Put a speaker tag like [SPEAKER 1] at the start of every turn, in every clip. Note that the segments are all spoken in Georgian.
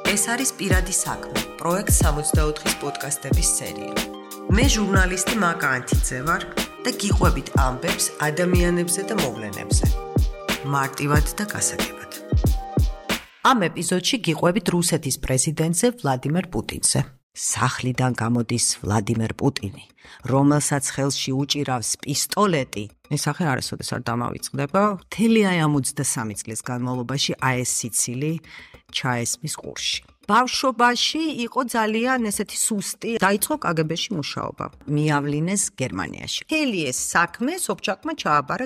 [SPEAKER 1] ეს არის პირადი საქმე, პროექტ 64-ის პოდკასტების სერია. მე ჟურნალისტი მაკა ანთიძე ვარ და გიყვებით ამბებს ადამიანებზე და მოვლენებზე. მარტივად და გასაგებად. ამ ეპიზოდში გიყვებით რუსეთის პრეზიდენტზე ვლადიმერ პუტინზე. სახლიდან გამოდის ვლადიმერ პუტინი, რომელსაც ხელში უჭირავს პისტოლეტი. ეს სახე არასოდეს არ დამავიწყდება. მთელი აი ამ 23 წლის განმავლობაში ეს სიცილი ჩაესმის ყურში. ბავშვობაში იყო ძალიან ესეთი სუსტი, დაიწყო კგბ-ში მუშაობა. მიავლინეს გერმანიაში. მთელი ეს საქმე სოფჩაკმა ჩააბარა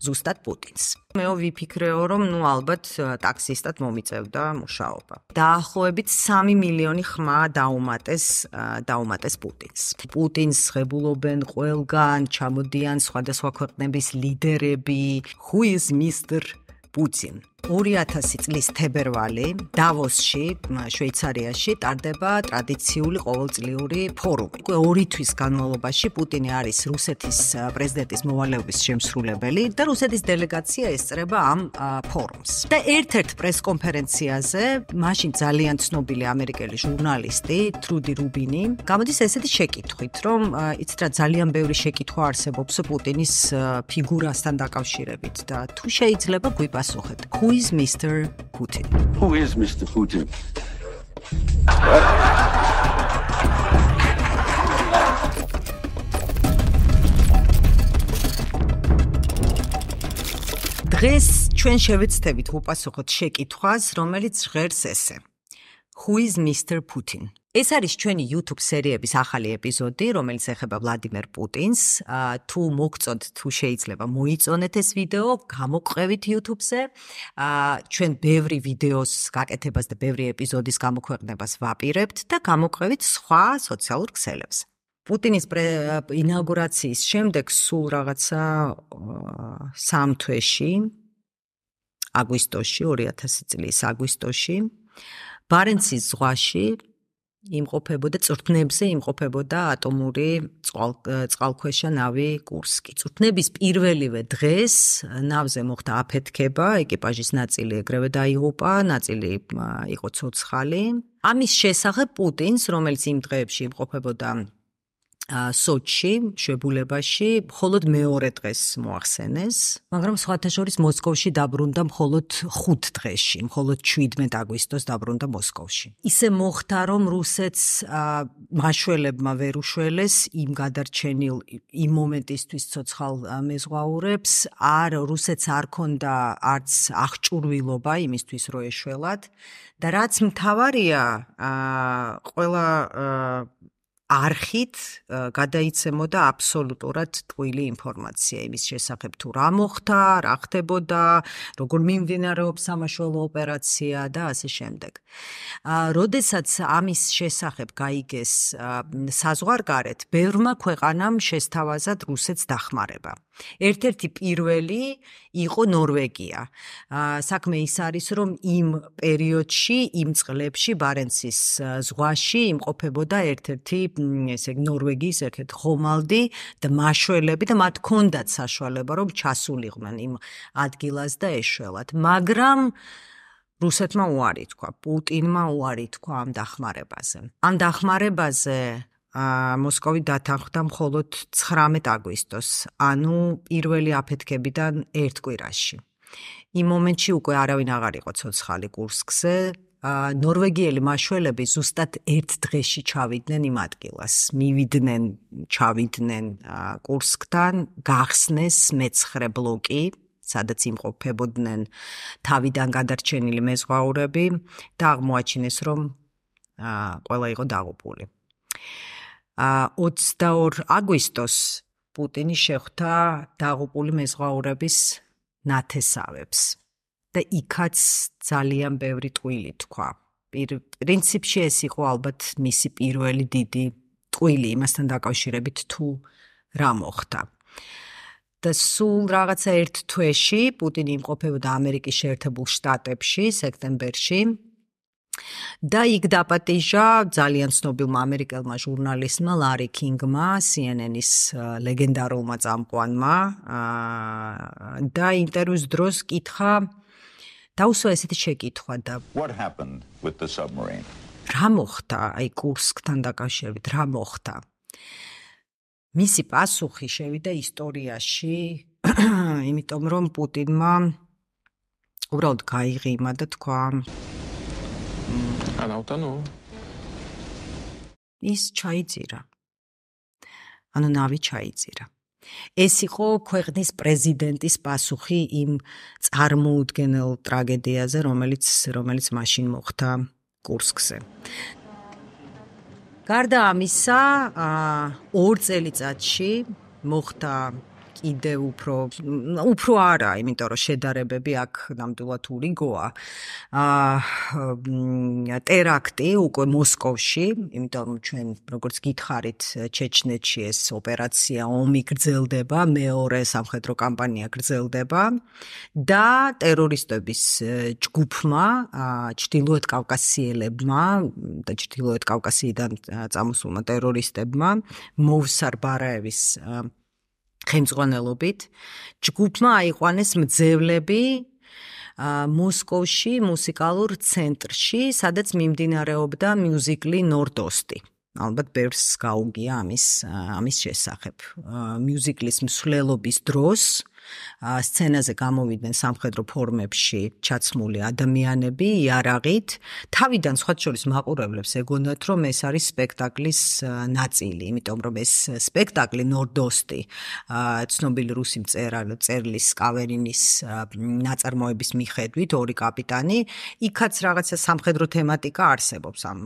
[SPEAKER 1] ზუსტად პუტინს. მეო ვიფიქრეო, რომ ალბათ ტაქსისტად მომიწევდა მუშაობა. დაახლოებით 3 მილიონი ხმა დაუმატეს პუტინს. პუტინს ღებულობენ ყველგან, ჩამოდიან სხვადასხვა ქვეყნების ლიდერები. Who is Mr. Putin? 2000 წლის თებერვალი დავოსში, შვეიცარიაში ტარდება ტრადიციული ყოველწლიური ფორუმი. 2 თვის განმავლობაში პუტინი არის რუსეთის პრეზიდენტის მოვალეობის შემსრულებელი და რუსეთის დელეგაცია ესწრება ამ ფორუმს. და ერთ-ერთ პრესკონფერენციაზე მაშინ ძალიან ცნობილი ამერიკელი ჟურნალისტი ტრუდი რუბინი გამოდის ესეთი შეკითხვით, რომ იცით რა ძალიან ბევრი შეკითხვა არსებობს პუტინის ფიგურასთან დაკავშირებით და თუ შეიძლება გვიპასუხეთ. Who is Mr. Putin?
[SPEAKER 2] Who is Mr. Putin?
[SPEAKER 1] დღეს ჩვენ შევეცდებით უპასუხოთ შეკითხვას, რომელიც ჟღერს ესე. Who is Mr. Putin? ეს არის ჩვენი YouTube სერიების ახალი ეპიზოდი, რომელიც ეხება ვლადიმერ პუტინს. თუ მოგწონთ, თუ შეიძლება მოიწონეთ ეს ვიდეო, გამოყევით YouTube-ზე. ჩვენ ბევრი ვიდეოს გაკეთებას და ბევრი ეპიზოდის გამოქვეყნებას ვაპირებთ და გამოყევით სხვა სოციალურ ქსელებზე. პუტინის ინაუგურაციის შემდეგ სულ რაღაცა 3 თვეში, აგვისტოში, 2000 წლის აგვისტოში, ბარენცის ზღვაში იმყოფებოდა წვრთნებზე იმყოფებოდა ატომური წყალქვეშა ნავი კურსკი. წვრთნების პირველივე დღეს ნავზე მოხდა აფეთქება, ეკიპაჟის ნაწილი ეგრევე დაიღუპა, ნაწილი იყო ცოცხალი. ამის შესახებ პუტინს, რომელიც იმ დღეებში იმყოფებოდა სოჩში, შვებულებაში, მხოლოდ მეორე დღეს მოახსენეს, მაგრამ სხვათა შორის მოსკოვში დაბრუნდა მხოლოდ 5 დღეში, მხოლოდ 17 აგვისტოს დაბრუნდა მოსკოვში. ისე მოხდა, რომ რუსეთს მაშველებმა ვერ უშველეს იმ გადარჩენილ იმ მომენტისთვის ცოცხალ მეზღვაურებს, რუსეთს არ ქონდა არც აღჭურვილობა იმისთვის, რომ ეშველათ და რაც მთავარია, ყველა არხით გადაიცემოდა აბსოლუტურად ტყუილი ინფორმაცია იმის შესახებ თუ რა მოხდა, რა ხდებოდა, როგორ მიმდინარეობს სამაშველო ოპერაცია და ასე შემდეგ. როდესაც ამის შესახებ გაიგეს საზღვარგარეთ, ბევრმა ქვეყანამ შესთავაზად რუსეთს დახმარება. ერთ-ერთი პირველი იყო ნორვეგია. საქმე ის არის, რომ იმ პერიოდში, იმ წლებში ბარენცის ზღვაში იმყოფებოდა ერთ-ერთი ნორვეგიის ერთ-ერთი ხომალდი და მაშველები და მათ ჰქონდათ საშუალება, რომ ჩასულიყვნენ იმ ადგილას და ეშველათ. მაგრამ რუსეთმა უარი თქვა, პუტინმა უარი თქვა ამ დახმარებაზე. ამ დახმარებაზე მოსკოვი დათანხმდა მხოლოდ 19 აგვისტოს, ანუ პირველი აფეთქებიდან 1 კვირაში. იმ მომენტში უკვე არავინ აღარ იყო ცოცხალი კურსკზე. ნორვეგიელი მაშველები ზუსტად 1 დღეში ჩავიდნენ იმ ადგილას. ჩავიდნენ კურსკთან, გახსნეს მე-9 ბლოკი, სადაც იმყოფებოდნენ თავიდან გადარჩენილი მეზღვაურები და აღმოაჩინეს, რომ ყველა იყო დაღუპული. 22 აგვისტოს პუტინი შეხვდა დაღუპული მეზღვაურების ნათესავებს და იქაც ძალიან ბევრი ტყუილი თქვა. პრინციპში ეს იყო ალბათ მისი პირველი დიდი ტყუილი იმასთან დაკავშირებით თუ რა მოხდა. და სულ რაღაცა 1 თვეში პუტინი იმყოფებოდა ამერიკის შეერთებულ შტატებში, სექტემბერში. და იქ დაპატიჟა ძალიან ცნობილმა ამერიკელმა ჟურნალისტმა ლარი კინგმა, CNN-ის ლეგენდარულმა წამყვანმა და ინტერვიუს დროს კითხა დაუსვა ესეთი შეკითხვა და
[SPEAKER 2] What happened with the submarine?
[SPEAKER 1] რა მოხდა აი კურსკთან დაკავშირებით, რა მოხდა? მისი პასუხი შევიდა ისტორიაში, იმიტომ რომ პუტინმა უბრალოდ გაიღიმა და თქვა
[SPEAKER 3] Она утонула.
[SPEAKER 1] ის ჩაიძირა. ანუ ნავი ჩაიძირა. ეს იყო ქვეყნის პრეზიდენტის პასუხი იმ წარმოუდგენელ ტრაგედიაზე, რომელიც მაშინ მოხდა კურსკზე. გარდა ამისა, 2 წელიწადში მოხდა კიდევ უფრო არა, იმიტომ რომ შედარებები აქ ნამდვილად ურიგოა. ტერაქტი უკვე მოსკოვში, იმიტომ რომ ჩვენ როგორც გითხარით, ჩეჩნეთში ეს ოპერაცია ომი გრძელდება, მეორე სამხედრო კამპანია გრძელდება და ტერორისტების ჯგუფმა, ჩრდილოეთ კავკასიელებმა და ჩრდილოეთ კავკასიიდან წამოსულმა ტერორისტებმა მოვსარ ბარაევის ხელმძღვანელობით ჯგუფმა აიყვანეს მძევლები მოსკოვში მუსიკალურ ცენტრში, სადაც მიმდინარეობდა მიუზიკლი ნორდოსტი. ალბათ ბევრს გაუგია ამის შესახებ. მიუზიკლის მსვლელობის დროს სცენაზე გამოვიდნენ სამხედრო ფორმებში ჩაცმული ადამიანები იარაღით. თავიდან სხვათა შორის მაყურებლებს ეგონათ, რომ ეს არის სპექტაკლის ნაწილი, იმიტომ რომ ეს სპექტაკლი ნორდოსტი, ცნობილი რუსი მწერლის კავერინის ნაწარმოების მიხედვით, 2 კაპიტანი, იქაც რაღაცა სამხედრო თემატიკა არსებობს ამ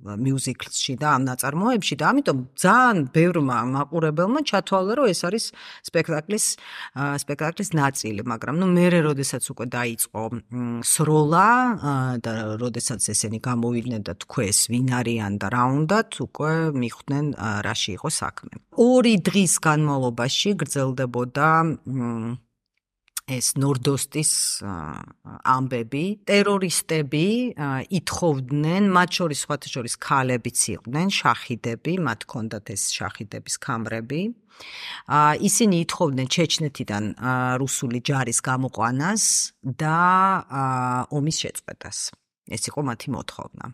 [SPEAKER 1] მიუზიკლში და ამ ნაწარმოებში და ამიტომ ძალიან ბევრმა მაყურებელმა ჩათვალა, რომ ეს არის სპექტაკლის ნაწილი, მაგრამ მერე როდესაც უკვე დაიწყო სროლა და როდესაც ესენი გამოვიდნენ და თქვეს ვინ არიან და რა უნდათ, უკვე მიხვდნენ რაში იყო საქმე. 2 დღის განმავლობაში გრძელდებოდა ეს ნორდოსტის ამბები, ტერორისტები ითხოვდნენ, მათ შორის სხვათა შორის ქალებიც იყვნენ, შაჰიდები, მათ ჰქონდათ ეს შაჰიდების ქამრები. ისინი ითხოვდნენ ჩეჩნეთიდან რუსული ჯარის გამოყვანას და ომის შეწყვეტას. ეს იყო მათი მოთხოვნა.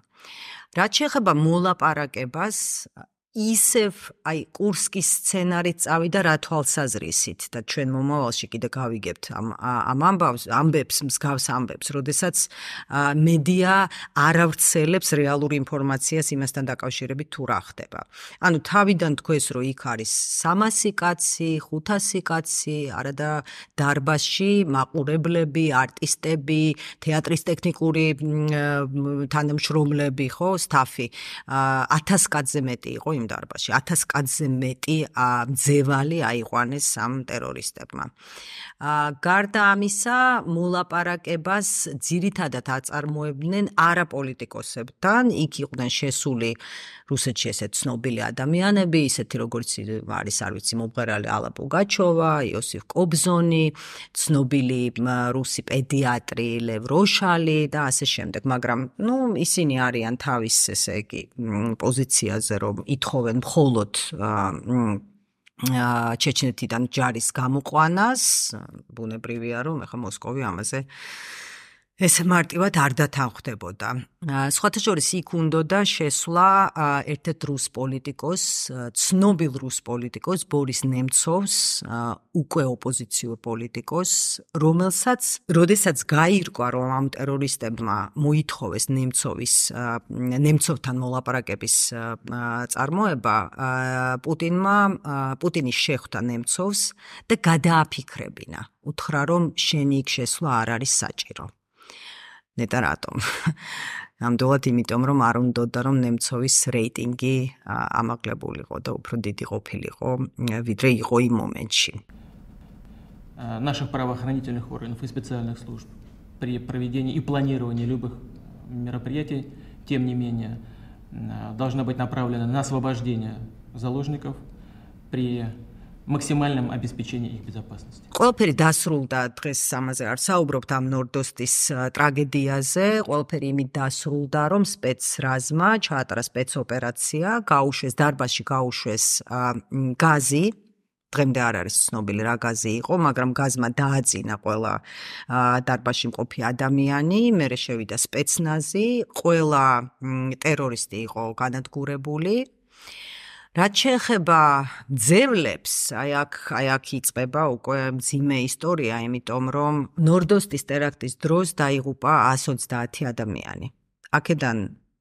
[SPEAKER 1] რაც შეეხება მოლაპარაკებას, ისევ აი კურსკის სცენარით წავიდა რა თვალსაზრისით და ჩვენ მომავალში კიდე გავიგებთ ამ ამბებს, მსგავს ამბებს, როდესაც მედია არ ავრცელებს რეალურ ინფორმაციას იმასთან დაკავშირებით თუ რა ხდება. ანუ თავიდან თქვეს, რომ იქ არის 300 კაცი, 500 კაცი, არადა დარბაზში მაყურებლები, არტისტები, თეატრის ტექნიკური თანამშრომლები, ხო, სტაფი, 1000 კაცზე მეტი იყო იმ დარბაზში 1000 კაცზე მეტი მძევალი აიყვანეს ამ ტერორისტებმა. გარდა ამისა, მოლაპარაკებას ძირითადად აწარმოებდნენ არაპოლიტიკოსებთან, იქ იყვნენ შესული რუსეთში ესეთ ცნობილი ადამიანები, ისეთი როგორც არის, არ ვიცი, მომღერალი ალა პუგაჩოვა, იოსიფ კობზონი, ცნობილი რუსი პედიატრი ლევ როშალი და ასე შემდეგ, მაგრამ ისინი არიან თავის ესე იგი პოზიციაზე, რომ ითხოვენ მხოლოდ ჩეჩნეთიდან ჯარის გამოყვანას, ბუნებრივია, რომ ახლა მოსკოვი ამაზე ესე მარტივად არ დათანხმდებოდა. სხვათა შორის იქ უნდოდა შესვლა ერთ-ერთ რუს პოლიტიკოს, ცნობილ რუს პოლიტიკოს ბორის ნემცოვს, უკვე ოპოზიციურ პოლიტიკოს, როდესაც გაირკვა, რომ ამ ტერორისტებმა მოითხოვეს ნემცოვთან მოლაპარაკების წარმოება, პუტინი შეხვდა ნემცოვს და გადააფიქრებინა. უთხრა, რომ შენი იქ შესვლა არ არის საჭირო. ნეტა რატომ? ნამდვილად იმიტომ, რომ არ უნდოდა, რომ ნემცოვის რეიტინგი ამაღლებულიყო და უფრო დიდი ყოფილიყო, ვიდრე იყო იმ მომენტში.
[SPEAKER 3] Наших правоохранительных органов и специальных служб при проведении и планировании любых мероприятий, тем не менее, должна быть направлена на освобождение заложников при максимальном обеспечении их безопасности.
[SPEAKER 1] ყველაფერი დასრულდა დღეს ამაზე არ საუბრობთ ამ ნორდოსტის ტრაგედიაზე, ყველაფერი იმით დასრულდა, რომ სპეცრაზმა ჩაატარა სპეცოპერაცია, გაუშვეს დარბაზში გაუშვეს გაზი დღემდე არ არის ცნობილი რა გაზი იყო, მაგრამ გაზმა დააწინა ყველა დარბაზში მყოფი ადამიანი, მერე შევიდა სპეცნაზი, ყველა ტერორისტი იყო განადგურებული. რაც შეეხება ძევლებს, აი აქ იწყება უკვე მძიმე ისტორია, იმიტომ რომ ნორდოსტის ტერაქტის დროს დაიღუპა 130 ადამიანი. აქედან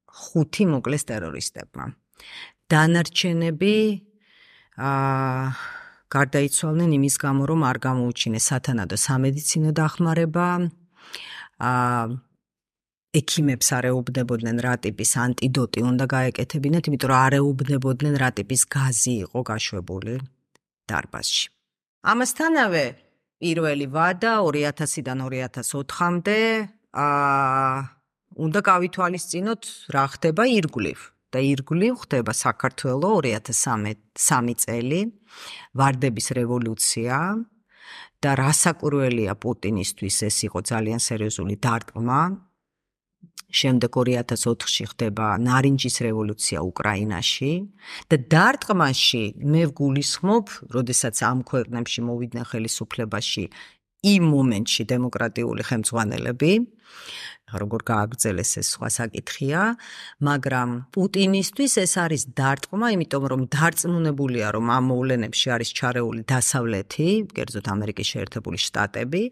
[SPEAKER 1] 5 მოკლეს ტერორისტებმა. დანარჩენები გარდაიცვალნენ იმის გამო, რომ არ გამოუჩინეს სათანადო სამედიცინო დახმარება, ექიმებს არ ეუბნებოდნენ რა ტიპის ანტიდოტი უნდა გაეკეთებინათ, იმიტომ რომ არ ეუბნებოდნენ რა ტიპის გაზი იყო გაშვებული დარბაზში. ამასთანავე პირველი ვადა 2000-დან 2004-მდე უნდა გავითვალისწინოთ რა ხდება ირგვლივ. და ირგვლივ ხდება საქართველო 2003 წელი, ვარდების რევოლუცია და რასაკვირველია პუტინისთვის ეს იყო ძალიან სერიოზული დარტყმა. შემდეგ 2004-ში ხდება ნარინჯის რევოლუცია უკრაინაში და დარტყმაში მე ვგულისხმობ, როდესაც ამ ქვეყნებში მოვიდნენ ხელისუფლებაში იმ მომენტში დემოკრატიული ხელმძღვანელები, როგორ გააგრძელეს ეს სხვა საკითხია, მაგრამ პუტინისთვის ეს არის დარტყმა, იმიტომ რომ დარწმუნებულია, რომ ამ მოვლენებში არის ჩარეული დასავლეთი, კერძოდ ამერიკის შეერთებული შტატები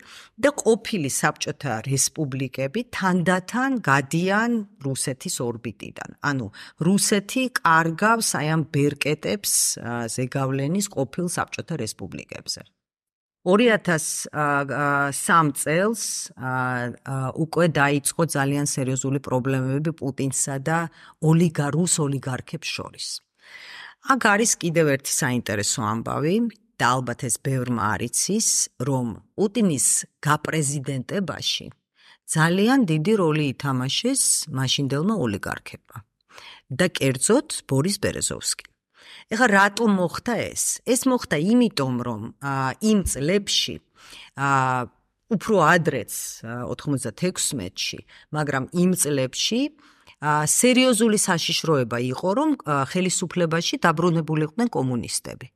[SPEAKER 1] და ყოფილი საბჭოთა რესპუბლიკები თანდათან გადიან რუსეთის ორბიტიდან. ანუ რუსეთი კარგავს აი ამ ბერკეტებს ზეგავლენის ყოფილ საბჭოთა რესპუბლიკებზე. 2003 წელს უკვე დაიწყო ძალიან სერიოზული პრობლემები პუტინსა და რუს ოლიგარქებს შორის. აქ არის კიდევ ერთი საინტერესო ამბავი და ალბათ ეს ბევრმა არ იცის, რომ პუტინის გაპრეზიდენტებაში ძალიან დიდი როლი ითამაშეს მაშინდელმა ოლიგარქებმა და კერძოდ ბორის ბერეზოვსკიმ. ეხლა რატომ მოხდა ეს? ეს მოხდა იმიტომ, რომ იმ წლებში უფრო ადრეც 96-ში, მაგრამ იმ წლებში სერიოზული საშიშროება იყო, რომ ხელისუფლებაში დაბრუნებულიყვნენ კომუნისტები.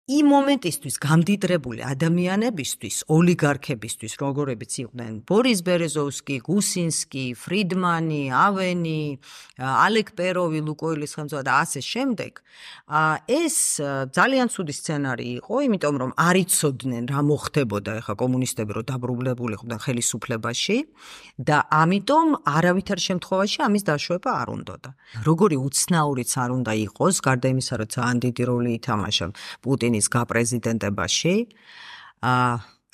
[SPEAKER 1] იმ მომენტისთვის გამდიდრებული ადამიანებისთვის, ოლიგარქებისთვის, როგორებიც იყვნენ ბორის ბერეზოვსკი, გუსინსკი, ფრიდმანი, ავენი, ალეკ პეროვი, ლუკოილის ხელმძღვანელი და ასე შემდეგ, ეს ძალიან ცუდი სცენარი იყო, იმიტომ რომ არ იცოდნენ რა მოხდებოდა ეხა კომუნისტები რომ დაბრუნებულიყვნენ ხელისუფლებაში და ამიტომ არავითარ შემთხვევაში ამის დაშვება არ უნდოდა. როგორი უცნაურიც არ უნდა იყოს, გარდა იმისა, რომ ძალიან დიდი როლი ითამაშა პუტინის გაპრეზიდენტებაში,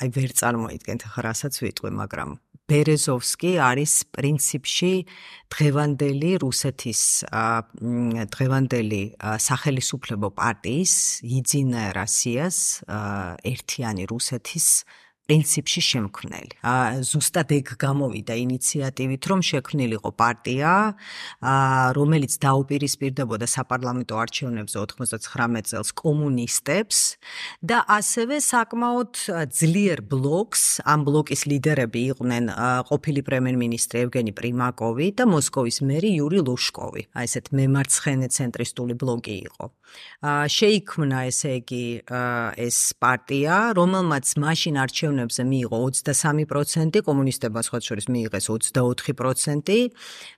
[SPEAKER 1] აი ვერ წარმოიდგენთ ახლა რასაც ვიტყვი, მაგრამ ბერეზოვსკი არის პრინციპში დღევანდელი რუსეთის დღევანდელი სახელისუფლებო პარტიის იძინა რასიას ერთიანი რუსეთის პრინციპში შემქმნელი. ზუსტად ეგ გამოვიდა ინიციატივით, რომ შექმნილიყო პარტია, რომელიც დაუპირისპირდებოდა საპარლამენტო არჩევნებზე 99 წელს კომუნისტებს და ასევე საკმაოდ ძლიერ ბლოკს, ამ ბლოკის ლიდერები იყვნენ ყოფილი პრემიერ-მინისტრი ევგენი პრიმაკოვი და მოსკოვის მერი იური ლუშკოვი. აი ესეთ მემარცხენე ცენტრისტული ბლოკი იყო. შეიქმნა ესე იგი ეს პარტია, რომელმაც მაშინ არჩევნებზე მიიღო 23%, კომუნისტებმა სხვა შორის მიიღეს 24%,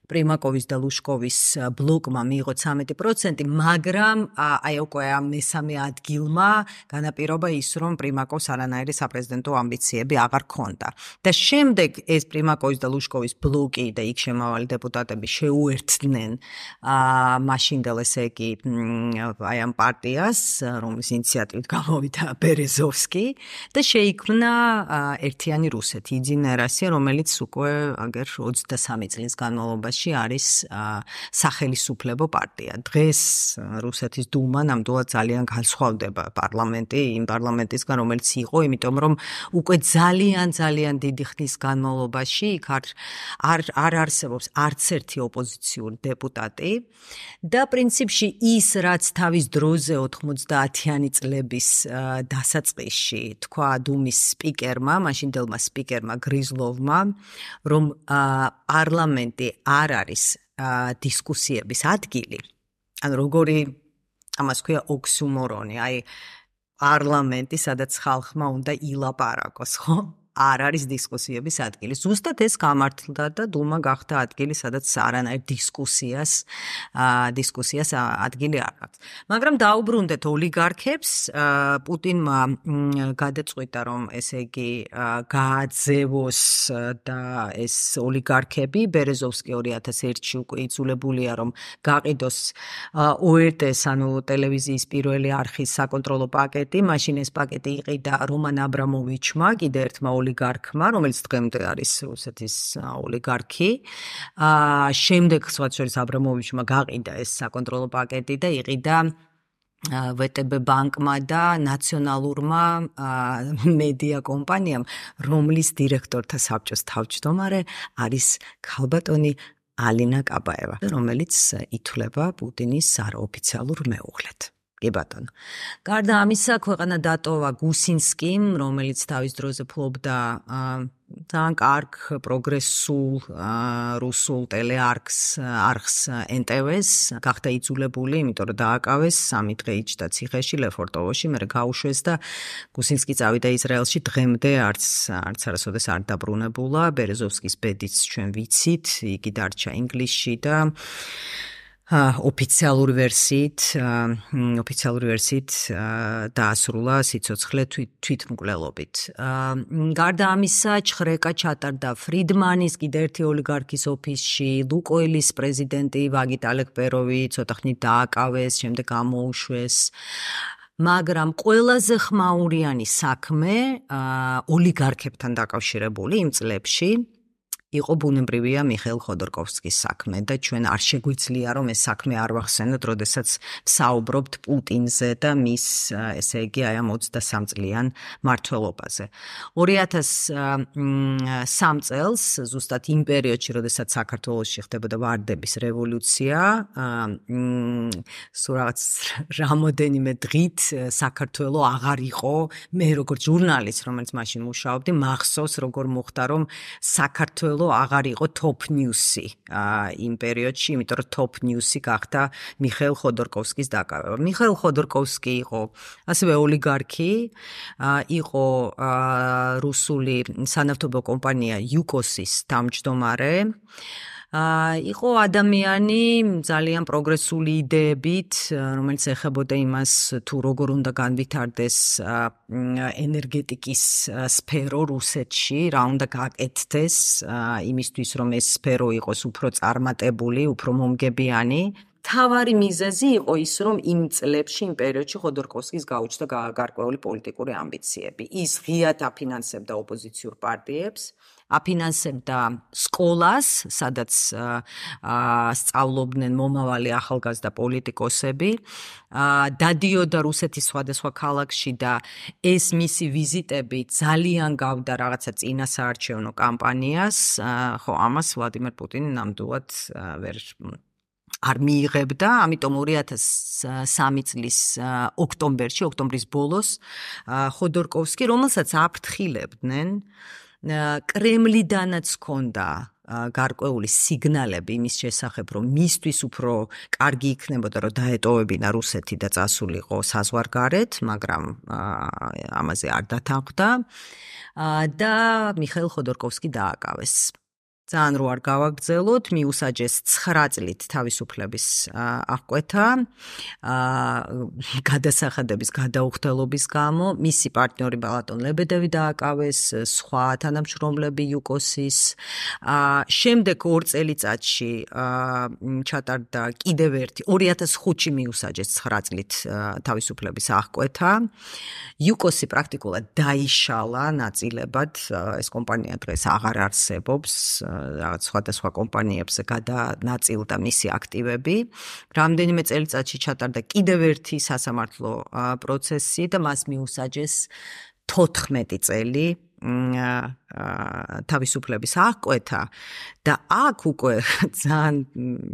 [SPEAKER 1] პრიმაკოვის და ლუშკოვის ბლოკმა მიიღო 13%, მაგრამ აი უკვე ამ მესამე ადგილმა განაპირობა ის, რომ პრიმაკოვს არანაირი საპრეზიდენტო ამბიციები აღარ ჰქონდა. და შემდეგ ეს პრიმაკოვის და ლუშკოვის ბლოკი და იქ შემავალი დეპუტატები შეუერთდნენ მაშინდელ ესე იგი აი ამ პარტიას, რომლის ინიციატივით გამოვიდა ბერეზოვსკი და შეიქმნა ერთიანი რუსეთი, იძინა რასია, რომელიც უკვე აგერ 23 წლის განმავლობაში არის სახელისუფლებო პარტია. დღეს რუსეთის დუმა ნამდვილად ძალიან განსხვავდება პარლამენტი იმ პარლამენტისგან, რომელიც იყო, იმიტომ რომ უკვე ძალიან დიდი ხნის განმავლობაში იქ არ არსებობს არც ერთი ოპოზიციური დეპუტატი და პრინციპში ის რაც თავის დროზე 90-იანი წლების დასაწყისში თქვა დუმის სპიკერმა, მაშინდელმა სპიკერმა გრიზლოვმა, რომ პარლამენტი არ არის დისკუსიების ადგილი. ანუ როგორი ამას ქვია ოქსიმორონი, აი პარლამენტი, სადაც ხალხმა უნდა ilaparako's, ხო? არ არის დისკუსიების ადგილი. ზუსტად ეს გამართლდა და დუმა გახდა ადგილი, სადაც არანაირ დისკუსიას ადგილი არ აქვს. მაგრამ დაუბრუნდეთ ოლიგარქებს, პუტინმა გადაწყვიტა, რომ ესე იგი გააძევოს და ეს ოლიგარქები, ბერეზოვსკი 2001-ში უკვე იძულებულია, რომ გაყიდოს ORT-ს, ანუ ტელევიზიის პირველი არხის საკონტროლო პაკეტი, მაშინ ეს პაკეტი იყიდა რომან აბრამოვიჩმა, კიდე ერთმა ოლიგარქმა, რომელიც დღემდე არის რუსეთის ოლიგარქი. შემდეგ სხვა შორის აბრამოვიჩმა გაყიდა ეს საკონტროლო პაკეტი და იყიდა VTB ბანკმა და ნაციონალურმა მედია კომპანიამ, რომლის დირექტორთა საბჭოს თავმჯდომარე არის ქალბატონი ალინა კაბაევა, რომელიც ითვლება პუტინის არაოფიციალურ მეუღლედ. კი ბატონო. გარდა ამისა, ქვეყანა დატოვა გუსინსკიმ, რომელიც თავის დროზე ფლობდა ძალიან კარგ პროგრესულ რუსულ ტელეარხს NTV-ს, გახდა იძულებული, იმიტომ რომ დააკავეს 3 დღე იჯდა ციხეში ლეფორტოვოში, მერე გაუშვეს და გუსინსკი წავიდა ისრაელში, დღემდე არც არასოდეს არ დაბრუნებულა. ბერეზოვსკის ბედიც ჩვენ ვიცით, იგი დარჩა ინგლისში და ოფიციალური ვერსიით დაასრულა სიცოცხლე თვითმკვლელობით. გარდა ამისა, ჩხრეკა ჩატარდა ფრიდმანის, კიდე ერთი ოლიგარქის ოფისში, ლუკოილის პრეზიდენტი ვაგიტ ალეკბეროვი ცოტა ხნით დააკავეს, შემდეგ გამოუშვეს. მაგრამ ყველაზე ხმაურიანი საქმე ოლიგარქებთან დაკავშირებული იმ წლებში იყო ბუნებრივია მიხეილ ხოდორკოვსკის საქმე და ჩვენ არ შეგვიძლია რომ ეს საქმე არ ვახსენოთ, როდესაც ვსაუბრობთ პუტინზე და მის, ესე იგი, აი ამ 23 წლიან მმართველობაზე. 2003 წელს, ზუსტად იმ პერიოდში, როდესაც საქართველოში ხდებოდა ვარდების რევოლუცია, სულ რაღაც რამოდენიმე დღით საქართველო აღარ იყო, მე როგორც ჟურნალისტ, რომელიც მაშინ მუშაობდი, მახსოვს როგორ მოხდა, რომ საქართველო აღარ იყო top news-ი იმ პერიოდში, იმიტომ რომ top news-ი გახდა მიხეილ ხოდორკოვსკის დაკავება. მიხეილ ხოდორკოვსკი იყო ასევე ოლიგარქი, იყო რუსული სანავთობო კომპანია Yukos-ის თავმჯდომარე. იყო ადამიანი ძალიან პროგრესული იდეებით, რომელიც ეხებოდა იმას, თუ როგორ უნდა განვითარდეს ენერგეტიკის სფერო რუსეთში, რა უნდა გაკეთდეს იმისთვის, რომ ეს სფერო იყოს უფრო წარმატებული, უფრო მომგებიანი. თავარი მიზეზი იყო ის, რომ იმ წლებში, იმ პერიოდში ხოდორკოვსკის გაუჩნდა გარკვეული პოლიტიკური ამბიციები. ის ღიად აფინანსებდა ოპოზიციურ პარტიებს, აფინანსებდა სკოლას, სადაც სწავლობდნენ მომავალი ახალგაზრდა პოლიტიკოსები, დადიოდა რუსეთის სხვადასხვა ქალაქში და ეს მისი ვიზიტები ძალიან გავდა რაღაცა წინასაარჩევნო კამპანიას, ხო, ამას ვლადიმერ პუტინი ნამდვილად არ მიიღებდა, ამიტომ 2003 წლის ოქტომბრის ბოლოს ხოდორკოვსკი, რომელსაც აფრთხილებდნენ, კრემლიდანაც ჰქონდა გარკვეული სიგნალები იმის შესახებ, რომ მისთვის უფრო კარგი იქნებოდა, რომ დაეტოვებინა რუსეთი და წასულიყო საზღვარგარეთ, მაგრამ ამაზე არ დათანხმდა და მიხეილ ხოდორკოვსკი დააკავეს. ძალიან რო არ გავაგრძელოთ, მიუსაჯეს 9 წლით თავისუფლების აღკვეთა, გადასახადების გადაუხდელობის გამო, მისი პარტნიორი ბალატონ ლებედევი დააკავეს, სხვა თანამშრომლები Yukos-ის. შემდეგ 2 წელიწადში ჩატარდა კიდევ ერთი 2005-ში მიუსაჯეს 9 წლით თავისუფლების აღკვეთა. Yukos-ი პრაქტიკულად დაიშალა ნაწილებად, ეს კომპანია დღეს აღარ არსებობს. რაღაც სხვადასხვა კომპანიებზე გადანაწილდა მისი აქტივები. რამდენიმე წელიწადში ჩატარდა კიდევ ერთი სასამართლო პროცესი და მას მიუსაჯეს 14 წელი თავისუფლების აღკვეთა და აქ უკვე ძალიან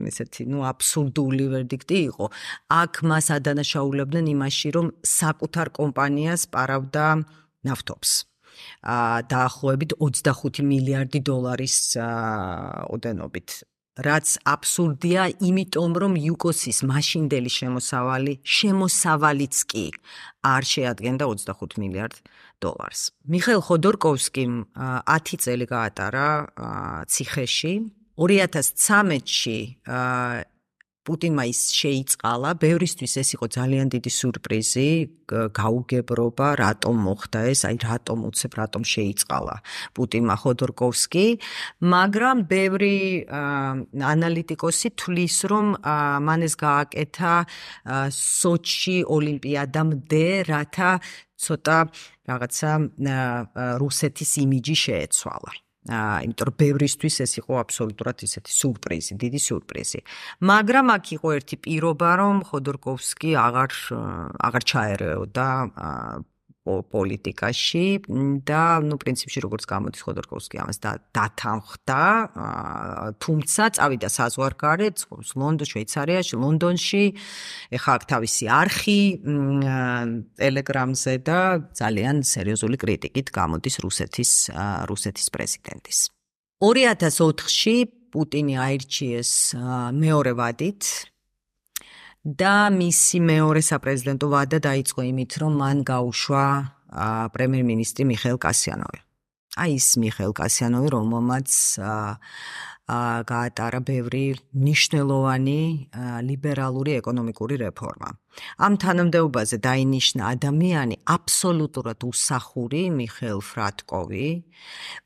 [SPEAKER 1] ესეთი, აბსურდული ვერდიქტი იყო. აქ მას ადანაშაულებდნენ იმაში, რომ საკუთარ კომპანიას პარავდა ნავთობს. დაახლოებით $25 მილიარდი ოდენობით. რაც აბსურდია, იმიტომ რომ იუკოსის მაშინდელი შემოსავალიც კი არ შეადგენდა 25 მილიარდ დოლარს. მიხეილ ხოდორკოვსკიმ 10 წელი გაატარა ციხეში. 2013-ში პუტინმა ის შეიწყალა, ბევრისთვის ეს იყო ძალიან დიდი სურპრიზი, გაუგებრობა, რატომ მოხდა ეს, რატომ შეიწყალა პუტინმა ხოდორკოვსკი, მაგრამ ბევრი ანალიტიკოსი თვლის, რომ მან ეს გააკეთა სოჩი ოლიმპიადამდე, რათა ცოტა რაღაცა რუსეთის იმიჯი შეეცვალა. იმიტომ რომ ბევრისთვის ეს იყო აბსოლუტურად ისეთი სურპრიზი, დიდი სურპრიზი. მაგრამ აქ იყო ერთი პირობა, რომ ხოდორკოვსკი აღარ ჩაერეოდა პოლიტიკაში და პრინციპში როგორც გამოდის ხოდორკოვსკი ამას დათანხმდა, თუმცა წავიდა საზღვარგარეთ, შვეიცარიაში, ლონდონში, ეხლა აქ თავისი არხი ტელეგრამზე და ძალიან სერიოზული კრიტიკით გამოდის რუსეთის პრეზიდენტის. 2004-ში პუტინი აირჩიეს მეორე ვადით და მისი მეორე საპრეზიდენტო ვადა დაიწყო იმით, რომ მან გაუშვა პრემიერ-მინისტრი მიხეილ კასიანოვი. ის მიხეილ კასიანოვი, რომელმაც გაატარა ბევრი მნიშვნელოვანი ლიბერალური ეკონომიკური რეფორმა. ამ თანამდებობაზე დაინიშნა ადამიანი აბსოლუტურად უსახური მიხეილ ფრატკოვი.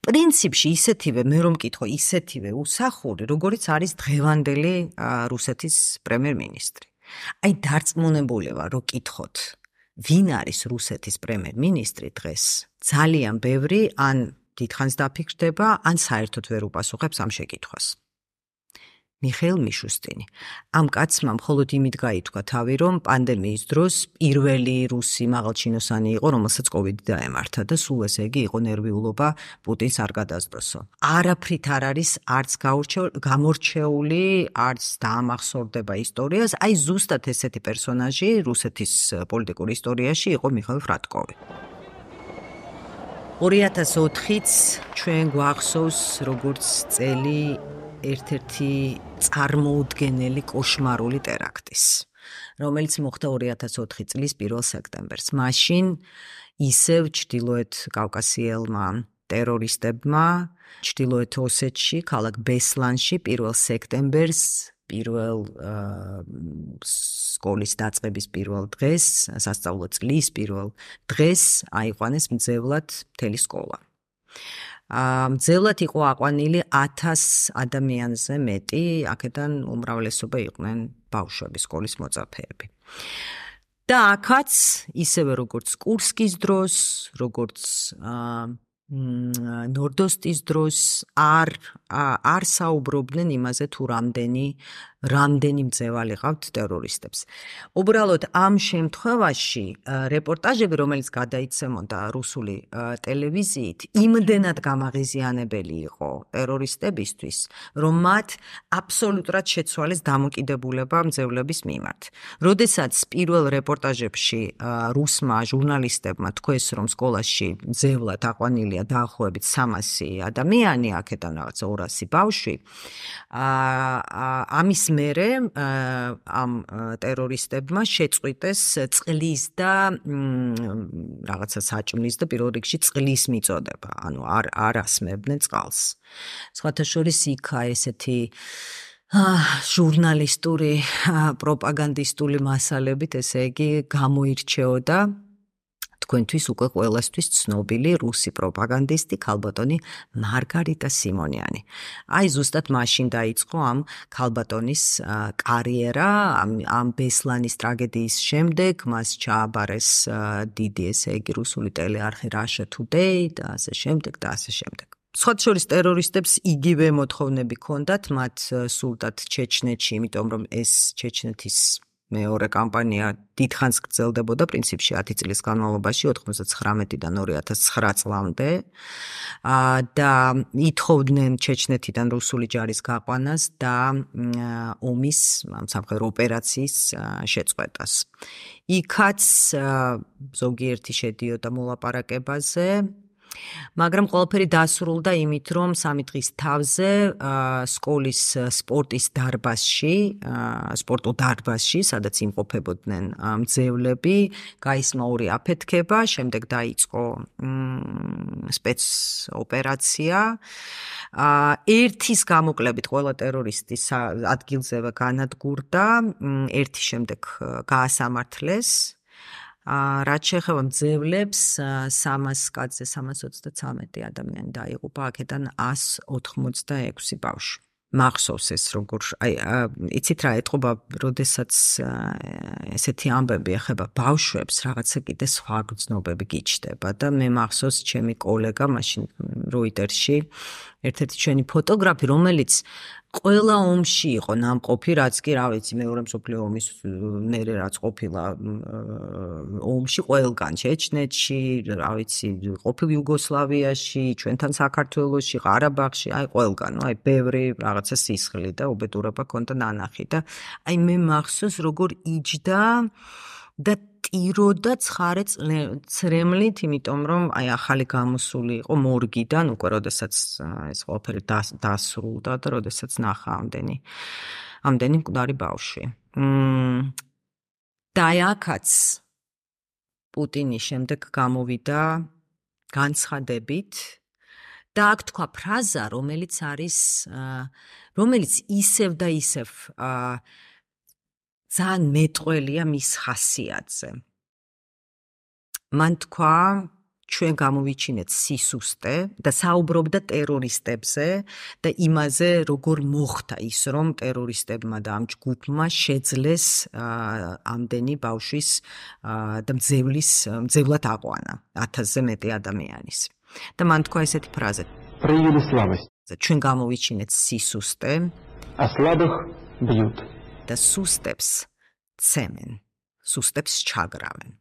[SPEAKER 1] პრინციპში ისეთივე, მე რომ მკითხო, ისეთივე უსახური, როგორიც არის დღევანდელი რუსეთის პრემიერ-მინისტრი. დარწმუნებული ვარ, რომ კითხოთ, ვინ არის რუსეთის პრემიერ-მინისტრი დღეს, ძალიან ბევრი ან დიდხანს დაფიქრდება, ან საერთოდ ვერ უპასუხებს ამ შეკითხვას. მიხეილ მიშუსტინი. ამ კაცმა მხოლოდ იმით გაითქვა თავი, რომ პანდემიის დროს პირველი რუსი მაღალჩინოსანი იყო, რომელსაც კოვიდი დაემართა და სულ ესე იგი იყო ნერვიულობა პუტინს არ გადასდროსო. არაფრით არ არის არც გამორჩეული, არც დაამახსოვრდება ისტორიას, ზუსტად ესეთი პერსონაჟი რუსეთის პოლიტიკურ ისტორიაში იყო მიხეილ ფრატკოვი. 2004-იც ჩვენ გვახსოვს როგორც წელი ერთ-ერთი წარმოუდგენელი კოშმარული ტერაქტის, რომელიც მოხდა 2004 წლის 1 სექტემბერს. მაშინ ისევ ჩრდილოეთ კავკასიელმა ტერორისტებმა ჩრდილოეთ ოსეთში, ქალაქ ბესლანში 1 სექტემბერს პირველ სკოლის დაწყების პირველ დღეს, სასწავლო წლის პირველ დღეს აიყვანეს მძევლად მთელი სკოლა. მძევლად იყო აყვანილი 1000 ადამიანზე მეტი, აქედან უმრავლესობა იყვნენ ბავშვები, სკოლის მოწაფეები. და აქაც ისევე როგორც კურსკის დროს, როგორც ნორდოსტის დროს არ საუბრობდნენ იმაზე თუ რამდენი მძევალი ყავთ ტერორისტებს. უბრალოდ ამ შემთხვევაში რეპორტაჟები, რომელიც გადაიცემოდა რუსული ტელევიზიით, იმდენად გამაღიზიანებელი იყო ტერორისტებისთვის, რომ მათ აბსოლუტურად შეცვალეს დამოკიდებულება მძევლების მიმართ. როდესაც პირველ რეპორტაჟებში რუსმა ჟურნალისტებმა თქვეს, რომ სკოლაში მძევლად აყვანილია დაახლოებით 300 ადამიანი, აქედან რაღაც 200 ბავშვი, ამის მერე ამ ტერორისტებმა შეწყვიტეს წყლის და რაღაცა საჭმლის და პირველ რიგში წყლის მიწოდება, ანუ არ ასმებდნენ წყალს. სხვათა შორის იქა ესეთი ჟურნალისტური პროპაგანდისტული მასალებით, ესე იგი გამოირჩეოდა თქვენთვის უკვე ყველასთვის ცნობილი რუსი პროპაგანდისტი ქალბატონი მარგარიტა სიმონიანი. ზუსტად მაშინ დაიწყო ამ ქალბატონის კარიერა, ამ ბესლანის ტრაგედიის შემდეგ მას ჩააბარეს დიდი, ესე იგი, რუსული ტელეარხი Russia Today და ასე შემდეგ და ასე შემდეგ. სხვათა შორის ტერორისტებს იგივე მოთხოვნები ჰქონდათ, მათ სურდათ ჩეჩნეთში, იმიტომ რომ ეს ჩეჩნეთის მეორე კამპანია დიდხანს გრძელდებოდა, პრინციპში 10 წლის განმავლობაში, 99-დან 2009 წლამდე და ითხოვდნენ ჩეჩნეთიდან რუსული ჯარის გაყვანას და ომის სამხედრო ოპერაციის შეწყვეტას. იქაც ზოგიერთი შედიოდა მოლაპარაკებაზე, მაგრამ ყველაფერი დასრულდა იმით, რომ 3 დღის თავზე სკოლის სპორტის დარბაზში, სპორტულ დარბაზში, სადაც იმყოფებოდნენ მძევლები, გაისმა ორი აფეთქება, შემდეგ დაიწყო სპეცოპერაცია. ერთის გამოკლებით ყველა ტერორისტი ადგილზევე განადგურდა, ერთი შემდეგ გაასამართლეს. რაც შეეხება მძევლებს 300 კაცზე 333 ადამიანი დაიღუპა, აქედან 186 ბავშვი. მახსოვს ეს როგორ იცით რა ეთყობა, როდესაც ესეთი ამბები ეხება ბავშვებს, რაღაცა კიდე სხვა გრძნობები გიჩნდება და მე მახსოვს ჩემი კოლეგა მაშინ როიტერში ერთ-ერთი ჩვენი ფოტოგრაფი, რომელიც ყველა ომში იყო ნამყოფი, რაც კი რა ვიცი, მეორე მსოფლიო ომის მერე რაც ყოფილა ომში ყველგან, ჩეჩნეთში, რა ვიცი, ყოფილ იუგოსლავიაში, ჩვენთან საქართველოში, ყარაბაღში, აი ყველგან, აი ბევრი რაღაცა სისხლი და უბედურება ქონდა ნანახი და აი მე მახსოვს როგორ იჯდა და ტიროდა ცხარე ცრემლით, იმიტომ რომ აი ახალი გამოსული იყო მორგიდან, უკვე როდესაც ეს ყველაფერი დასრულდა და როდესაც ნახა ამდენი მკვდარი ბავშვი. და აქაც პუტინი შემდეგ გამოვიდა განცხადებით და აქ თქვა ფრაზა, რომელიც ისევ და ისევ ძალიან მეტყველია მის ხასიათზე. მან თქვა, ჩვენ გამოვიჩინეთ სისუსტე და საუბრობდა ტერორისტებზე და იმაზე, როგორ მოხდა ის, რომ ტერორისტებმა და ამ ჯგუფმა შეძლეს ამდენი ბავშვის და მძევლად აყვანა 1000-ზე მეტი ადამიანის. და მან თქვა ესეთი ფრაზა.
[SPEAKER 4] Проявили слабость.
[SPEAKER 1] ჩვენ გამოვიჩინეთ სისუსტე,
[SPEAKER 4] А слабых бьют.
[SPEAKER 1] და სუსტებს ცემენ, სუსტებს ჩაგრავენ.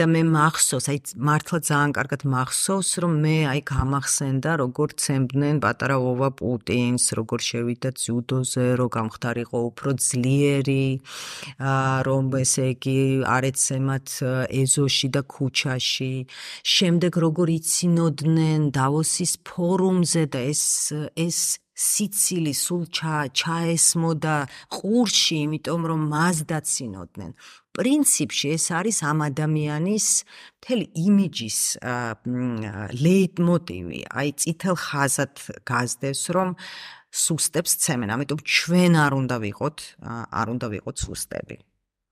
[SPEAKER 1] და მე მახსოვს, აი მართლა ძალიან კარგად მახსოვს, რომ მე აი გამახსენდა, როგორ ცემდნენ პატარა ვოვა პუტინს, როგორ შევიდა ძიუდოზე, რომ გამხდარიყო უფრო ძლიერი, რომ ესე იგი არ ეცემათ ეზოში და ქუჩაში. შემდეგ როგორ იცინოდნენ დავოსის ფორუმზე და ეს სიცილი სულ ჩაესმოდა ყურში, იმიტომ რომ მას დაცინოდნენ. პრინციპში ეს არის ამ ადამიანის მთელი იმიჯის ლეიტმოტივი, აი წითელ ხაზად გაზდევს, რომ სუსტებს ცემენ, ამიტომ ჩვენ არ უნდა ვიყოთ სუსტები.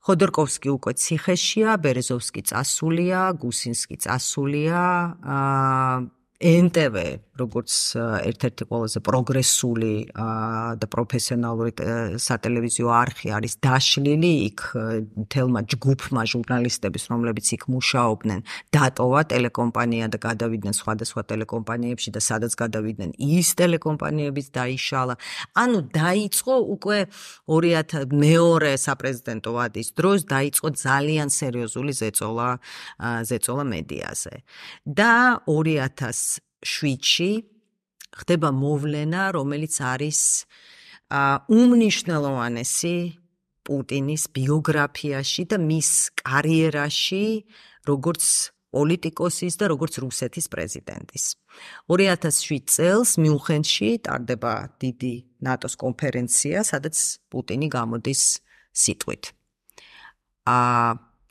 [SPEAKER 1] ხოდორკოვსკი უკვე ციხეშია, ბერეზოვსკი წასულია, გუსინსკი წასულია, NTV, როგორც ერთ-ერთი ყველაზე პროგრესული და პროფესიონალური სატელევიზიო არხი არის დაშლილი, იქ თელმა ჯგუფმა ჟურნალისტების, რომლებიც იქ მუშაობდნენ, დატოვა ტელეკომპანია და გადავიდნენ სხვადასხვა ტელეკომპანიებში და სადაც გადავიდნენ, ის ტელეკომპანიებიც დაიშალა. ანუ დაიწყო უკვე 2002 საპრეზიდენტო ვადის დროს დაიწყო ძალიან სერიოზული ზეწოლა მედიაზე. და 2007-ში ხდება მოვლენა, რომელიც არის უმნიშვნელოვანესი პუტინის ბიოგრაფიაში და მის კარიერაში, როგორც პოლიტიკოსის და როგორც რუსეთის პრეზიდენტის. 2007 წელს მიუნხენში ტარდება დიდი ნატოს კონფერენცია, სადაც პუტინი გამოდის სიტყვით.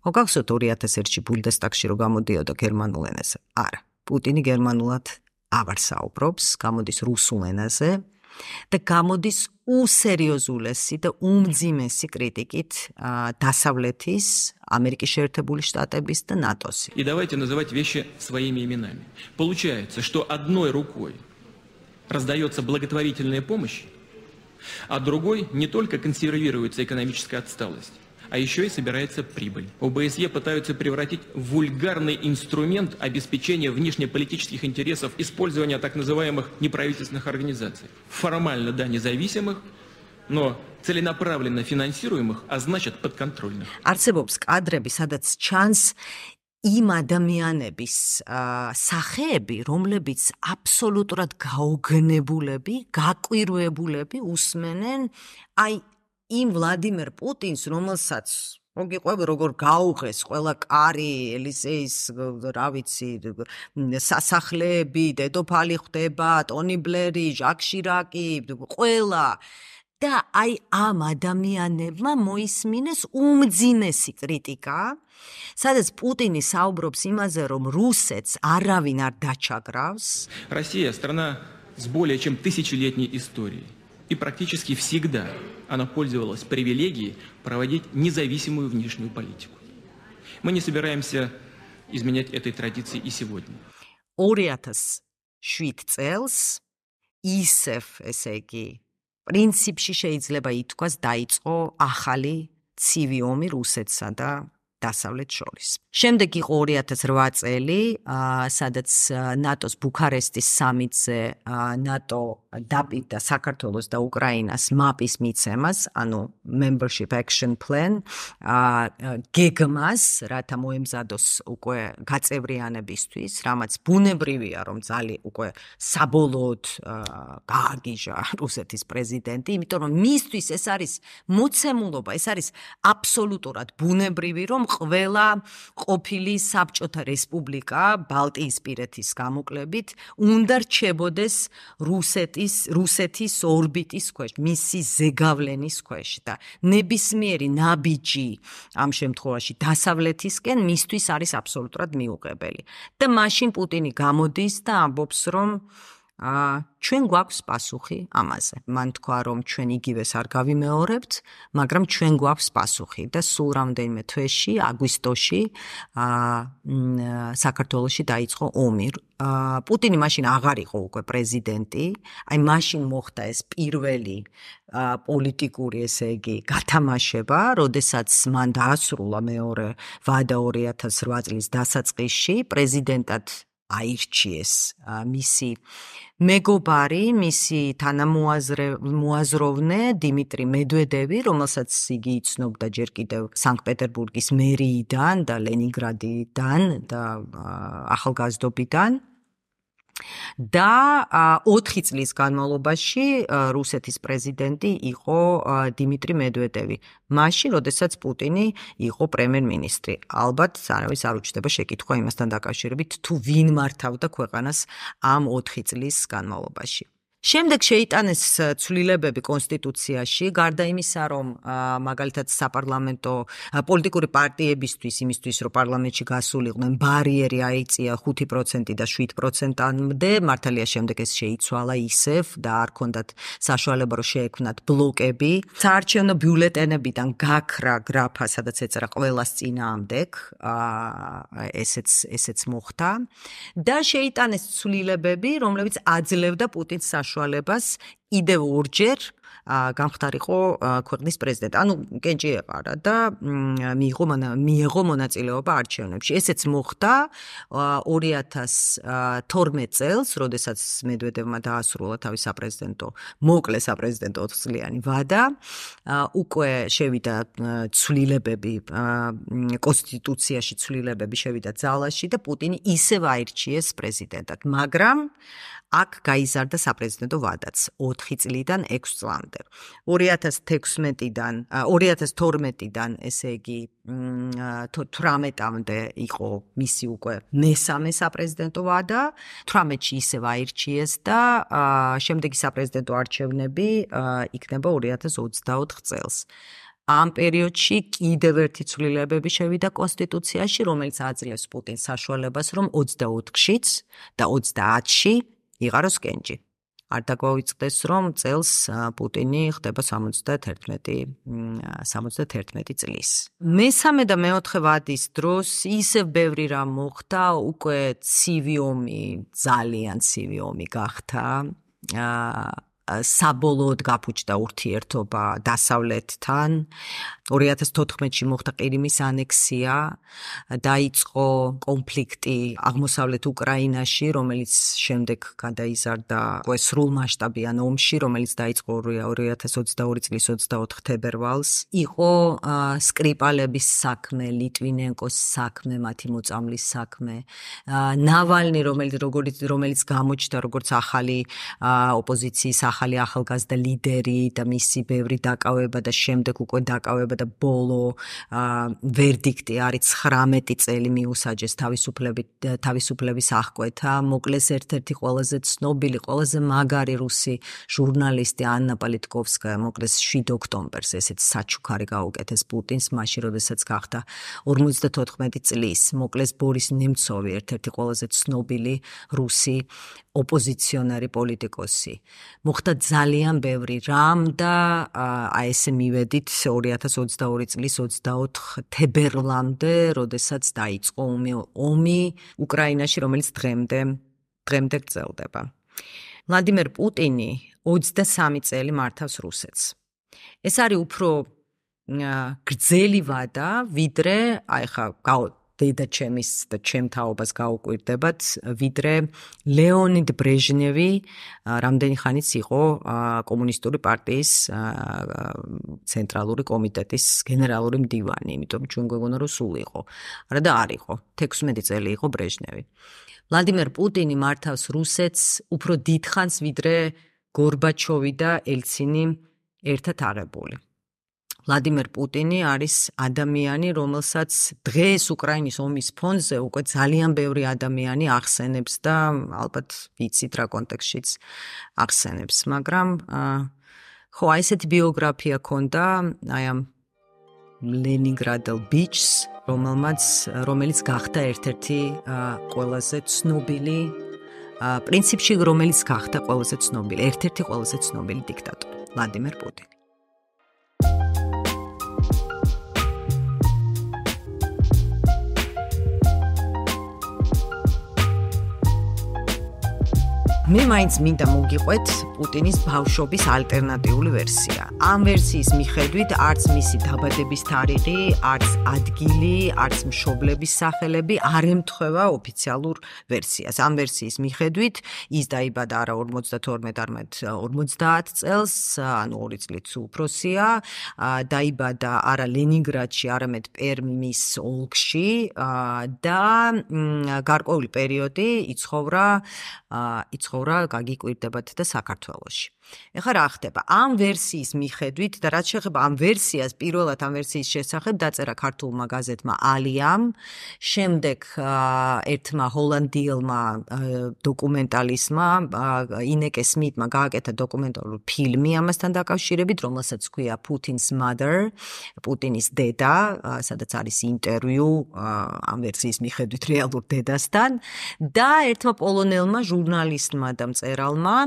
[SPEAKER 1] გახსოვთ 2001-ში ბუნდესტაგში რო გამოდიოდა გერმანულ ენაზე? არა. პუტინი გერმანულად აღარ საუბრობს, გამოდის რუსულ ენაზე და გამოდის უსერიოზულესი და უმძიმესი критикით დასავლეთის, Америки შეერთებული შტატების და ნატოს.
[SPEAKER 3] И давайте называть вещи своими именами. Получается, что одной рукой раздается благотворительная помощь, а другой не только консервируется экономическая отсталость, а еще и собирается прибыль. ОБСЕ пытаются превратить в вульгарный инструмент обеспечения внешнеполитических интересов использования так называемых неправительственных организаций. Формально, да, независимых, но целенаправленно финансируемых, а значит подконтрольных.
[SPEAKER 1] არსებობს კადრები, სადაც ჩანს იმ ადამიანების სახეები, რომლებიც აბსოლუტურად გაოგნებულები, გაკვირვებულები უსმენენ აი იმ ვლადიმერ პუტინს, რომელსაც მოგიყვები როგორ გაუღეს ყველა კარი ელისეის რა ვიცი სასახლეები დედოფალი ხდება ტონი ბლერი ჟაკ შირაკი ყველა და აი ამ ადამიანებმა მოისმინეს უმძიმესი კრიტიკა სადაც პუტინი საუბრობს იმაზე რომ რუსეთს არავინ არ დაჩაგრავს
[SPEAKER 5] Россия страна с более чем тысячелетней историей и практически всегда она пользовалась привилегией проводить независимую внешнюю политику. Мы не собираемся изменять этой традиции и сегодня.
[SPEAKER 1] 2007 წელს ისევ ესე იგი პრინციპში შეიძლება ითქვას დაიწყო ახალი ცივი ომი რუსეთსა და დასავლეთ შორის. შემდეგ იყო 2008 წელი, სადაც ნატოს ბუქარესტის სამიტზე ნატო დაპირდა საქართველოს და უკრაინას მაპის მიცემას, ანუ Membership Action Plan, გეგმას, რათა მოემზადოს უკვე გაწევრიანებისთვის, რამაც ბუნებრივია, რომ ძალიან უკვე საბოლოოდ გააგიჟა რუსეთის პრეზიდენტი, იმიტომ რომ მისთვის ეს არის მოცემულობა, ეს არის აბსოლუტურად ბუნებრივი, რომ ყველა ყოფილი საბჭოთა რესპუბლიკა ბალტიისპირეთის გამოკლებით უნდა რჩებოდეს რუსეთის ორბიტის ქვეშ, მისი ზეგავლენის ქვეშ და ნებისმიერი ნაბიჯი ამ შემთხვევაში დასავლეთისკენ მისთვის არის აბსოლუტურად მიუღებელი. და მაშინ პუტინი გამოდის და ამბობს, რომ ჩვენ გვაქვს პასუხი ამაზე. მან თქვა, რომ ჩვენ იგივეს არ გავიმეორებთ, მაგრამ ჩვენ გვაქვს პასუხი და სულ რამდენიმე თვეში, აგვისტოში, საქართველოში დაიწყო ომი. პუტინი მაშინ აღარ იყო უკვე პრეზიდენტი, აი მაშინ მოხდა ეს პირველი პოლიტიკური, ესე იგი, გათამაშება, როდესაც მან დაასრულა მეორე ვადა 2008 წლის დასაწყისში, პრეზიდენტად აირჩიეს მისი მეგობარი, მისი თანამოაზროვნე დიმიტრი მედვედევი, რომელსაც იგი იცნობდა ჯერ კიდევ სანქტ-პეტერბურგის მერიიდან და ლენინგრადიდან და ახალგაზრდობიდან. და 4 წლის განმავლობაში რუსეთის პრეზიდენტი იყო დიმიტრი მედვედევი. მაშინ, როდესაც პუტინი იყო პრემიერ-მინისტრი. ალბათ არავის არ უჩნდება შეკითხვა იმასთან დაკავშირებით, თუ ვინ მართავდა ქვეყანას ამ 4 წლის განმავლობაში. შემდეგ შეიტანეს ცვლილებები კონსტიტუციაში, გარდა იმისა, რომ მაგალითად საპარლამენტო პოლიტიკური პარტიებისთვის, იმისთვის, რომ პარლამენტში გასულიყვნენ, ბარიერი აიწია 5% და 7%-მდე, მართალია შემდეგ ეს შეიცვალა ისევ და არ ჰქონდათ საშუალება, რომ შეექმნათ ბლოკები. საარჩევნო ბიულეტენებიდან გაქრა გრაფა, სადაც ეწერა ყველას წინააღმდეგ, ესეც მოხდა და შეიტანეს ცვლილებები, რომლებიც აძლევდა პუტინს საშუალებას კიდევ ორჯერ გამხდარიყო ქვეყნის პრეზიდენტი. ანუ კენჭი ეყარა და მიიღო მონაწილეობა არჩევნებში. ესეც მოხდა 2012 წელს, როდესაც მედვედევმა დაასრულა თავის მოკლე საპრეზიდენტო 4 წლიანი ვადა. უკვე შევიდა ცვლილებები, კონსტიტუციაში ცვლილებები შევიდა ძალაში და პუტინი ისევ აირჩიეს პრეზიდენტად, მაგრამ აქ გაიზარდა საპრეზიდენტო ვადაც 4 წლიდან 6 წლამდე. 2012-დან, ესე იგი 18-მდე იყო მისი უკვე მესამე საპრეზიდენტო ვადა. 18-ში ისევ აირჩიეს და შემდეგი საპრეზიდენტო არჩევნები იქნება 2024 წელს. ამ პერიოდში კიდევ ერთი ცვლილებები შევიდა კონსტიტუციაში, რომელიც აძლევს პუტინს საშუალებას, რომ 24-შიც და 30-ში იყაროს კენჭი. არ დაგვაუწყდეს, რომ წელს პუტინი ხდება 71 წლის. მესამე და მეოთხე ვადის დროს ისევ ბევრი რამ მოხდა, უკვე ცივი ომი, ძალიან ცივი ომი გახდა. საბოლოოდ გაფუჭდა ურთიერთობა დასავლეთთან. 2014-ში მოხდა ყირიმის ანექსია, დაიწყო კონფლიქტი აღმოსავლეთ უკრაინაში, რომელიც შემდეგ გადაიზარდა სრულმასშტაბიან ომში, რომელიც დაიწყო 2022 წლის 24 თებერვალს. იყო სკრიპალების საქმე, ლიტვინენკოს საქმე, მათი მოწამლის საქმე. ნავალნი, რომელიც გამოჩნდა როგორც ახალი ოპოზიციის ახალი ახალგაზრდა ლიდერი და მისი ბევრი დაკავება და შემდეგ უკვე დაკავება და ბოლო ვერდიქტი არის 19 წელი მიუსაჯეს თავისუფლების აღკვეთა. მოკლეს ერთ-ერთი ყველაზე ცნობილი, ყველაზე მაგარი რუსი ჟურნალისტი ანნა პოლიტკოვსკაია მოკლეს 7 ოქტომბერს, ესეც საჩუქარი გაუკეთეს პუტინს, მაშინ როდესაც გახდა 54 წლის. მოკლეს ბორის ნემცოვი, ერთ-ერთი ყველაზე ცნობილი რუსი ოპოზიციონერი პოლიტიკოსი. მოხდა ძალიან ბევრი რამ და აი ესე მივედით 2022 წლის 24 თებერვლამდე, როდესაც დაიწყო ომი უკრაინაში, რომელიც დღემდე გრძელდება. ვლადიმერ პუტინი 23 წელი მართავს რუსეთს. ეს არის უფრო გრძელი ვადა, ვიდრე აი ხა დედა ჩემის და ჩემ თაობას გაუკვირდებათ, ვიდრე ლეონიდ ბრეჟნევი რამდენი ხანიც იყო კომუნისტური პარტიის ცენტრალური კომიტეტის გენერალური მდივანი, იმიტომ ჩვენ გვეგონა რომ სულ იყო. არა და არ იყო. 16 წელი იყო ბრეჟნევი. ვლადიმერ პუტინი მართავს რუსეთს უფრო დიდხანს, ვიდრე გორბაჩოვი და ელცინი ერთად აღებული. ვლადიმერ პუტინი არის ადამიანი, რომელსაც დღეს უკრაინის ომის ფონზე უკვე ძალიან ბევრი ადამიანი ახსენებს და ალბათ ვიცით რა კონტექსტშიც ახსენებს, მაგრამ ხო აი ესეთი ბიოგრაფია ქონდა აი ამ ლენინგრადელ ბიჭს, რომელიც გახდა ერთ-ერთი ყველაზე ცნობილი პრინციპში რომელიც გახდა ყველაზე ცნობილი, ერთ-ერთი ყველაზე ცნობილი დიქტატორი, ვლადიმერ პუტინი. მე მაინც მინდა მოგიყვეთ პუტინის ბავშვობის ალტერნატიული ვერსია. ამ ვერსიის მიხედვით არც მისი დაბადების თარიღი, არც ადგილი, არც მშობლების სახელები არ ემთხვევა ოფიციალურ ვერსიას. ამ ვერსიის მიხედვით ის დაიბადა არა 52, არამედ 50 წელს, ანუ 2 წლით უფროსია. დაიბადა არა ლენინგრადში, არამედ პერმის ოლქში და გარკვეული პერიოდი იცხოვრა გაგიკვირდებათ და საქართველოში. ეხლა რა ხდება? ამ ვერსიის მიხედვით და რაც შეეხება ამ ვერსიას, პირველად ამ ვერსიის შესახებ დაწერა ქართულმა გაზეთმა ალიამ, შემდეგ ერთმა ჰოლანდიელმა დოკუმენტალისტმა ინეკე სმიტმა გააკეთა დოკუმენტალური ფილმი ამასთან დაკავშირებით, რომელსაც ჰქვია Putin's Mother, პუტინის დედა, სადაც არის ინტერვიუ ამ ვერსიის მიხედვით რეალურ დედასთან და ერთმა პოლონელმა ჟურნალისტმა და მწერალმა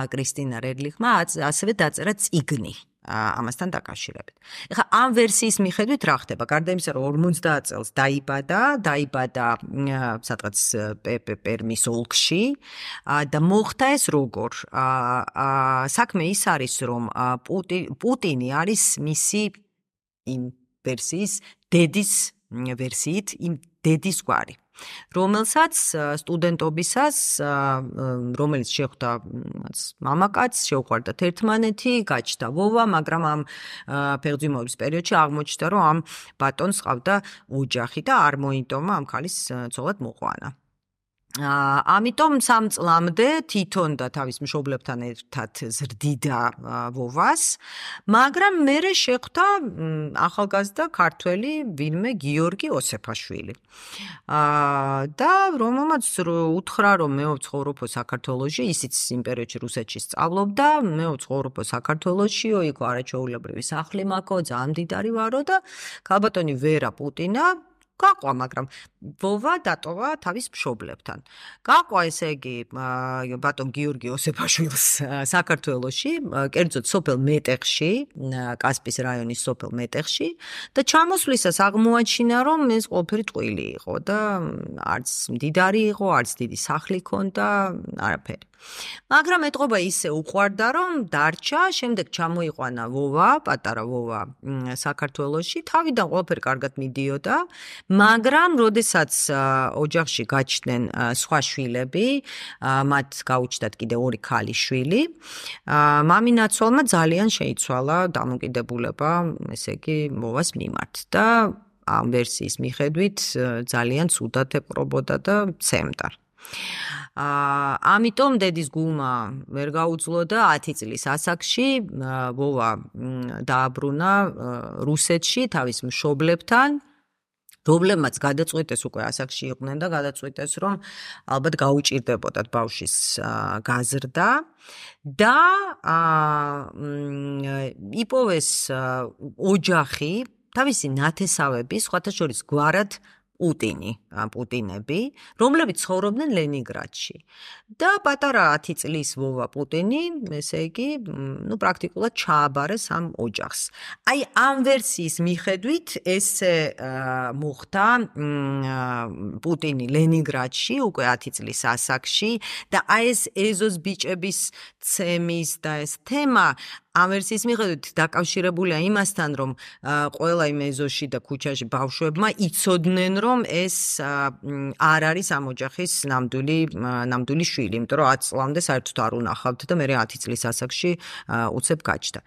[SPEAKER 1] კრისტინა რედლიხმა ასევე დაწერა წიგნი ამასთან დაკავშირებით. ეხლა ამ ვერსიის მიხედვით რა ხდება? გარდა იმისა, რომ 50 წელს დაიბადა სადღაც პერმის ოლქში და მოხდა ეს როგორ? საქმე ის არის, რომ პუტინი არის მისი იმ ვერსიის დედის ვერსიით, იმ დედის გვარი. რომელსაც სტუდენტობისას, რომელიც შეხვდა მამაკაცს, შეუყვარდათ ერთმანეთი, გაჩნდა ვოვა, მაგრამ ამ ფեղძვიმობის პერიოდში აღმოჩნდა, რომ ამ ბატონს ჰყავდა ოჯახი და არ მოიტომა ამ ქალის ცოლად მოყვანა. ამიტომ 3 წლამდე თვითონ და თავის მშობლებთან ერთად ზრდიდა ვოვას, მაგრამ მერე შეხვდა ახალგაზრდა ქართველი ვინმე გიორგი ოსეფაშვილი. და რომელმაც უთხრა, რომ მე ვცხოვრობ საქართველოში, ისიც იმ პერიოდში რუსეთში სწავლობდა, მე ვცხოვრობ საქართველოში, იქ არაჩვეულებრივი სახლი მაქვს, ძალიან მდიდარი ვარო და ქალბატონი ვერა პუტინა გაყვა, მაგრამ ვოვა დატოვა თავის მშობლებთან. გაყვა ესე იგი ბატონ გიორგი ოსეფაშვილს საქართველოში, კერძოდ სოფელ მეტეხში, კასპის რაიონის სოფელ მეტეხში და ჩამოსვლისას აღმოაჩინა, რომ ეს ყველაფერი ტყუილი იყო და არც მდიდარი იყო, არც დიდი სახლი ჰქონდა, არაფერი. მაგრამ ეტყობა ისე უყვარდა, რომ დარჩა, შემდეგ ჩამოიყვანა ვოვა, პატარა ვოვა საქართველოში, თავიდან ყველაფერი კარგად მიდიოდა, მაგრამ როდესაც ოჯახში გაჩნდნენ სხვა შვილები, მათ გაუჩნდათ კიდე 2 ქალიშვილი, მამინაცვალმა ძალიან შეიცვალა დამოკიდებულება, ესე იგი, ვოვას მიმართ და ამ ვერსიის მიხედვით ძალიან ცუდად ეპყრობოდა და ცემდა. ამიტომ დედის გულმა ვერ გაუძლო და 10 წლის ასაკში ვოვა დააბრუნა რუსეთში თავის მშობლებთან. რომლებმაც გადაწყვიტეს უკვე ასაკში იყვნენ და გადაწყვიტეს რომ ალბათ გაუჭირდებოდათ ბავშვის გაზრდა და იპოვეს ოჯახი თავისი ნათესავები სხვათა შორის გვარად პუტინები, რომლებიც ცხოვრობდნენ ლენინგრადში. და პატარა 10 წლის ვოვა პუტინი, ესე იგი, პრაქტიკულად ჩააბარეს ამ ოჯახს. აი ამ ვერსიის მიხედვით ესე მოხდა პუტინი ლენინგრადში უკვე 10 წლის ასაკში და აი ეს ეზოს ბიჭების ცემის და ეს თემა ამ ვერსიის მიხედვით დაკავშირებულია იმასთან, რომ ყველა იმ ეზოში და ქუჩაში ბავშვებმა იცოდნენ, რომ ეს არ არის ამ ოჯახის ნამდვილი შვილი, იმიტომ რომ 10 წლამდე საერთოდ არ უნახავთ და მე 10 წლის ასაკში უცებ გაჩნდა.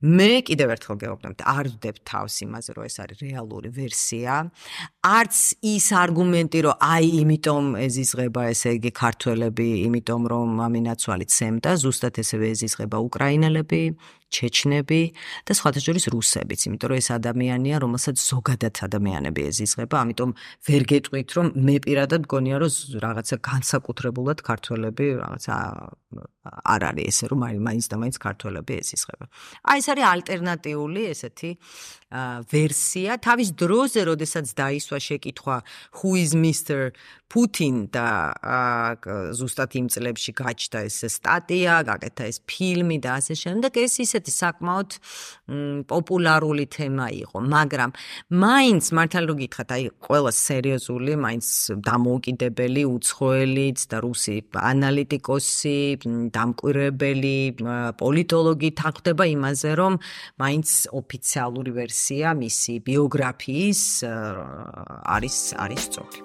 [SPEAKER 1] მე კიდევ ერთხელ გეუბნებთ, არ ვდებ თავს იმაზე, რომ ეს არის რეალური ვერსია. არც ის არგუმენტი, რომ აი იმიტომ ეზიზღება ესე იგი ქართველები, იმიტომ რომ ამინაცვალი ცემდა, ზუსტად ესევე ეზიზღება უკრაინელები, ჩეჩნები და სხვათა შორის რუსებიც, იმიტომ რომ ეს ადამიანია, რომელსაც ზოგადად ადამიანები ეზიზღება, ამიტომ ვერ გეტყვით, რომ მე პირადად მგონია, რომ რაღაცა განსაკუთრებულად ქართველები რაღაცა არ არის ესე, რომ მაინც და მაინც ქართველები ეზიზღება. აი ეს არის ალტერნატიული ესეთი ვერსია. თავის დროზე, როდესაც დაისვა შეკითხვა who is Mr. Putin და ზუსტად იმ წლებში გაჩნდა ეს სტატია, გაკეთდა ეს ფილმი და ასე შემდეგ, ეს ისეთი საკმაოდ პოპულარული თემა იყო, მაგრამ მაინც მართალი რომ გითხრათ, აი ყველა სერიოზული, მაინც დამოუკიდებელი, უცხოელიც და რუსი ანალიტიკოსი, დამკვირვებელი, პოლიტოლოგი თანხმდება იმაზე, რომ მაინც ოფიციალური ვერსია მისი ბიოგრაფიის არის სწორი.